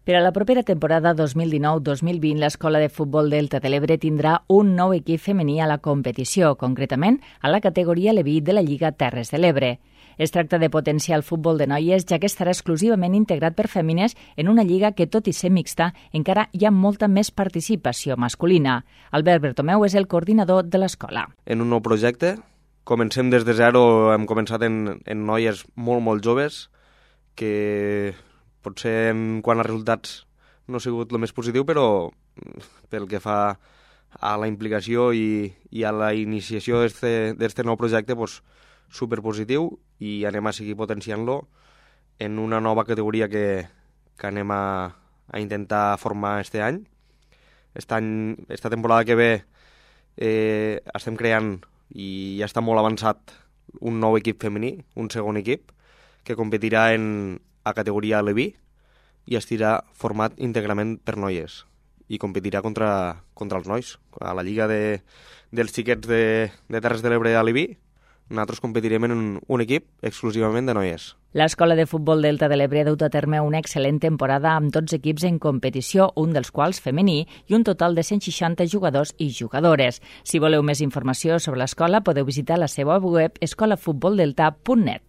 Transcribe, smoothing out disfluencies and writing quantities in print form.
Per a la propera temporada 2019-2020, l'Escola de Futbol Delta de l'Ebre tindrà un nou equip femení a la competició, concretament a la categoria Leví de la Lliga Terres de l'Ebre. Es tracta de potenciar el futbol de noies, ja que estarà exclusivament integrat per fèmines en una lliga que, tot i ser mixta, encara hi ha molta més participació masculina. Albert Bertomeu és el coordinador de l'escola. En un nou projecte, comencem des de zero, hem començat en noies molt joves, que potser quant a resultats no ha sigut el més positiu, però pel que fa a la implicació i a la iniciació d'este nou projecte, doncs, superpositiu, i anem a seguir potenciant-lo en una nova categoria que anem a intentar formar este any. Esta temporada que ve estem creant, i ja està molt avançat, un nou equip femení, un segon equip, que competirà a categoria Leví i estirà format íntegrament per noies i competirà contra els nois. A la lliga dels xiquets de Terres de l'Ebre a Leví, nosaltres competirem en un equip exclusivament de noies. L'Escola de Futbol Delta de l'Ebre ha dut a terme una excel·lent temporada amb 12 equips en competició, un dels quals femení, i un total de 160 jugadors i jugadores. Si voleu més informació sobre l'escola, podeu visitar la seva web escolafutboldelta.net.